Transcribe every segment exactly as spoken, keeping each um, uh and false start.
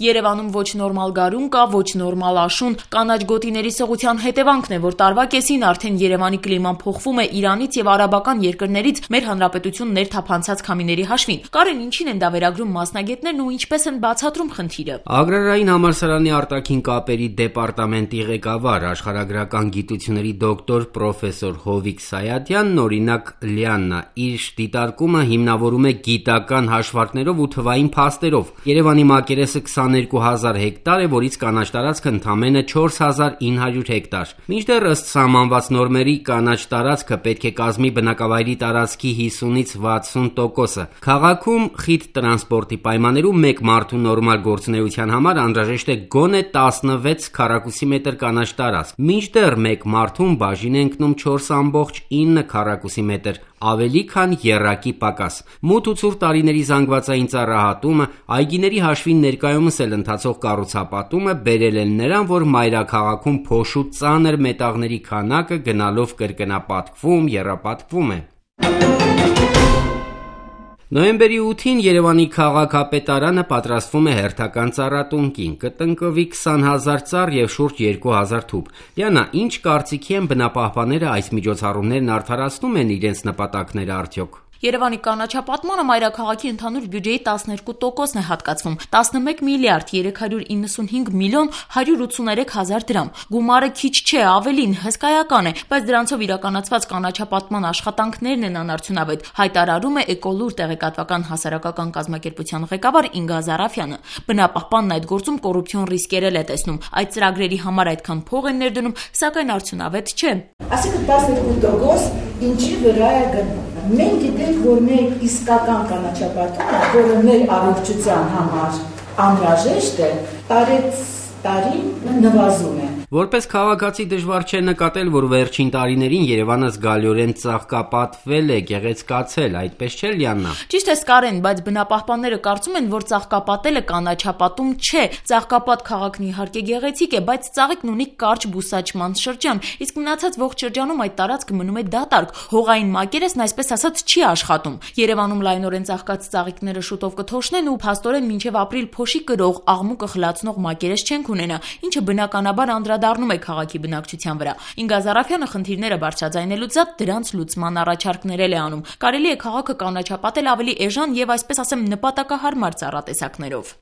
Երևանում ոչ նորմալ գարուն կա, ոչ նորմալ աշուն, կանաչ գոտիների սղության հետևանքն է, որ տարվա կեսին արդեն Երևանի կլիման փոխվում է Իրանից եւ արաբական երկրներից մեր հանրապետություն ներթափանցած քամիների հաշվին։ Կարեն, ինչին են դա վերագրում մասնագետներն ու ինչպես են բացատրում խնդիրը։ Ագրարային համալսարանի արտաքին կապերի դեպարտամենտի ղեկավար, աշխարհագրական գիտությունների դոկտոր պրոֆեսոր Հովիկ Սայաթյանն օրինակ Լիաննա իր դիտարկումը հիմնավորում է գիտական հաշվարկներով ու թվային փաստերով։ Երևանի մակերեսը քսաներկու հազար հեկտար է, որից կանաչ տարածքը ընդամենը չորս հազար ինը հարյուր հեկտար։ Մինչդեռ ըստ սահմանված նորմերի կանաչ տարածքը պետք է կազմի բնակավայրի տարածքի հիսունից վաթսուն տոկոսը։ Քաղաքում խիտ տրանսպորտի պայմաններում մեկ մարդու նորմալ գործունեության համար անհրաժեշտ է գոնե տասնվեց քառակուսի մետր կանաչ տարածք։ Մինչդեռ մեկ մարդուն բաժին է ընկնում չորս ամբողջ ինը քառակուսի մետր, ավելի քան եռակի պակաս։ Մութ ու ցուրտ տարիների զանգվածային ծառահատումը, այգիների հաշվին ներկայումս էլ ընթացող կառուցապատումը բերել են նրան, որ մայրաքաղաքում փոշու ծանր մետաղների քանակը գնալով կրկնապատկվում, եռապատկվում է։ Նոյեմբերի ութին Երևանի քաղաքապետարանը պատրաստվում է հերթական ծառատունկին, կտնկվի քսան հազար ծառ եւ շուրջ երկու հազար թուփ։ Լիանա, ինչ կարծիքի են բնապահպանները այս միջոցառումներն արդարացնում են իրենց նպատակները արդյոք։ Երևանի կանաչապատմանը մայրաքաղաքի ընդհանուր բյուջեի տասներկու տոկոսն է հատկացվում, տասնմեկ միլիարդ երեք հարյուր իննսունհինգ միլիոն հարյուր ութսուներեք հազար դրամ։ Գումարը քիչ չէ, ավելին հսկայական է, բայց դրանցով իրականացված կանաչապատման աշխատանքներն են անարդյունավետ, հայտարարում է Էկոլուր տեղեկատվական հասարակական կազմակերպության ղեկավար Ինգա Զարաֆյանը։ Բնապահպանն այդ գործում կոռուպցիոն ռիսկեր է տեսնում, այդ ծրագրերի համար այդքան փող են ներդնում, սակայն արդյունավետ չէ։ Այսինքն տասներկու տոկոս ինչի վրա է գնում։ Մենք գիտենք, որ մեր իսկական կանաչապատումը, որը մեր առողջության համար անհրաժեշտ է, տարեց տարի նվազում է։ Որպես քաղաքացի դժվար չէ նկատել, որ վերջին տարիներին Երևանը զգալիորեն ծաղկապատվել է, գեղեցկացել, այդպես չէ Լիաննա։ Ճիշտ է Կարեն, բայց բնապահպանները կարծում են, որ ծաղկապատելը կանաչապատում չէ։ Ծաղկապատ քաղաքն իհարկե գեղեցիկ է, բայց ծաղիկն ունի կարճ բուսաճման շրջան, իսկ մնացած ողջ շրջանում այդ տարածքը մնում է դատարկ։ Հողային մակերեսն այսպես ասած չի աշխատում։ Երևանում լայնորեն ծաղկած ծաղիկները շուտով կթոշնեն ու փաստորեն մինչև ապրիլ փոշի կրող, աղմուկը խլացնող մակերես չենք ունենա, ինչը բնականաբար անդրադառնում է քաղաքի բնակչության վրա։ Ինգա Զարաֆյանը խնդիրները բարձրաձայնելուց զատ դրանց լուծման առաջարկներ է անում։ Կարելի է քաղաքը կանաչապատել ավելի էժան եւ այսպես ասեմ նպատակահարմար ծառատեսակներով։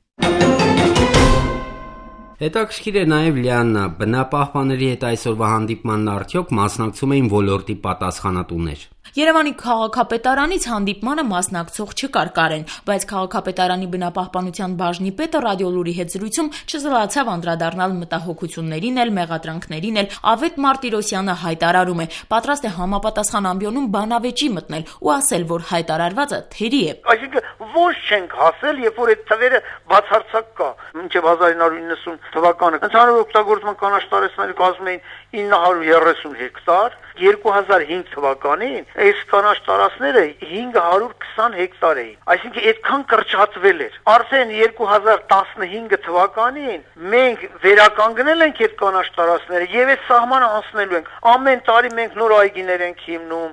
Հետաքրքիր է նաև Լիաննա, բնապահպանների հետ այսօրվա հանդիպմանն արդյոք մասնակցում էին ոլորտի պատասխանատուներ։ Երևանի քաղաքապետարանից հանդիպմանը մասնակցող չկար Կարեն, բայց քաղաքապետարանի բնապահպանության բաժնի պետը ռադիոլուրի հետ զրույցում չզլացավ անդրադառնալ մտահոգություններին էլ, մեղադրանքներին էլ։ Ավետ Մարտիրոսյանը հայտարարում է, պատրաստ է համապատասխան ամբիոնում բանավեճի մտնել ու ասել, որ հայտարարվածը թերի է։ Այսինքն ոչ չենք հասել, երբ որ այդ թվերը բացարձակ կա, մինչև հազար ինը հարյուր իննսուն թվականը ընդհանուր օգտագործման կանաչ տարածքները կազմում էին ինը հարյուր երեսուն հեկտար, երկու հազար հինգ թվականին այս կանաչ տարածքները հինգ հարյուր քսան հեկտար էին, այսինքն այդքան կրճատվել էր։ Արդեն երկու հազար տասնհինգ թվականին մենք վերականգնել ենք այդ կանաչ տարածքները եւ այդ սահմանը անցնելու ենք։ Ամեն տարի մենք նոր այգիներ ենք հիմնում։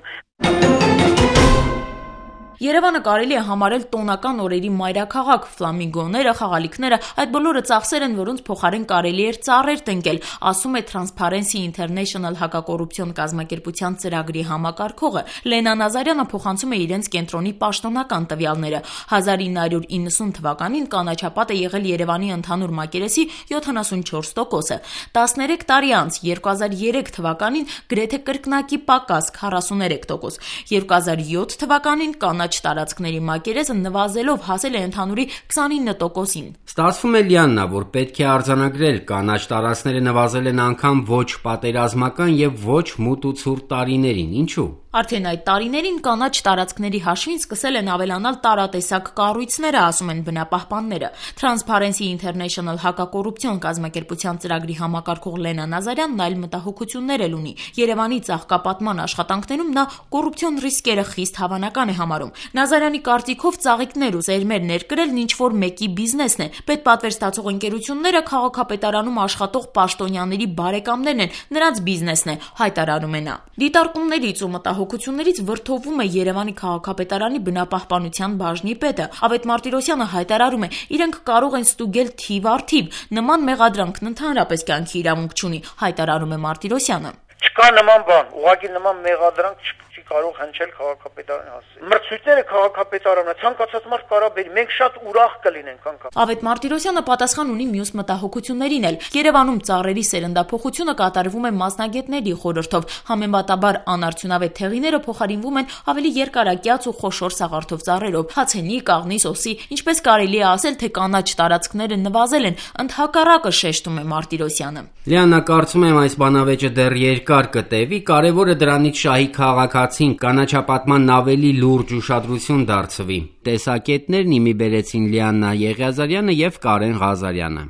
Երևանը կարելի է համարել տոնական օրերի մայրաքաղաք, ֆլամինգոները, խաղալիքները, այդ բոլորը ծախսեր են, որոնց փոխարեն կարելի էր ծառեր տնկել, ասում է Transparency International հակակոռուպցիոն կազմակերպության ծրագրի համակարգողը։ Լենա Նազարյանը փոխանցում է իրենց կենտրոնի պաշտոնական տվյալները։ հազար ինը հարյուր իննսուն թվականին կանաչապատ է եղել Երևանի ընդհանուր մակերեսի յոթանասունչորս տոկոսը։ տասներեք տարի անց երկու հազար երեք թվականին գրեթե կրկնակի պակաս քառասուներեք տոկոս։ երկու հազար յոթ թվականին կանաչ տարածքների մակերեսը նվազելով հասել է ընդհանուրի քսանինը տոկոսին։ Ստացվում է Լիաննա, որ պետք է արձանագրել, կանաչ տարածքները նվազել են անգամ ոչ պատերազմական եւ ոչ մութ ու ցուրտ տարիներին։ Ինչու՞։ Արդեն այդ տարիներին կանաչ տարածքների հաշվին սկսել են ավելանալ տարատեսակ կառույցները, ասում են բնապահպանները։ Transparency International հակակոռուպցիոն կազմակերպության ծրագրի համակարգող Լենա Նազարյանն այլ մտահոգություններ էլ ունի։ Երևանի ծաղկապատման աշխատանքներում նա կոռուպցիոն ռիսկերը խիստ հավանական է համարում։ Նազարյանի կարծիքով ծաղիկներ ու սերմեր ներկրելն ինչ-որ մեկի բիզնեսն է։ Պետպատվեր ստացող ընկերությունները քաղաքապետարանում աշխատող պաշտոնյաների բարեկամներն են, նրանց բիզնեսն է, հայտարարում է նա։ Դիտարկումներից ու մտահոգություններից մտահոգություններից վրդովում է Երևանի քաղաքապետարանի բնապահպանության բաժնի պետը։ Ավետ Մարտիրոսյանը հայտարարում է, իրենք կարող են ստուգել թիվ առ թիվ, նման մեղադրանքն ընդհանրապես կյանքի իրավունք չունի, հայտարարում է Մարտիրոսյանը։ Չկա նման բան, ուղղակի նման մեղադրանք չի կարող հնչել քաղաքապետարանի հասցեին։ Մրցույթները քաղաքապետարանը ցանկացած մարդ կարա բերի, մենք շատ ուրախ կլինենք անկամ։ Ավետ Մարտիրոսյանը պատասխան ունի մյուս մտահոգություններին էլ։ Երևանում ծառերի սերնդափոխությունը կատարվում է մասնագետների խորհրդով, համեմատաբար անարդյունավետ թեղիները փոխարինվում են ավելի երկարակյաց ու խոշոր սաղարթով ծառերով՝ հացենի, կաղնի, սոսի, ինչպես կարելի է ասել, թե կանաչ տարածքները նվազել են, ընդհակառակը շեշտում է Մարտիրոսյանը։ Լիանա, կարծում եմ այս բանավեճը դեռ երկար կտևի, կարևորը դրանից շահի քաղաքացին կանաչապատման ավելի լուրջ ուշադրություն դարձվի։ Տեսակետներն իմի բերեցին Լիաննա Եղիազարյանը եւ Կարեն Ղազարյանը։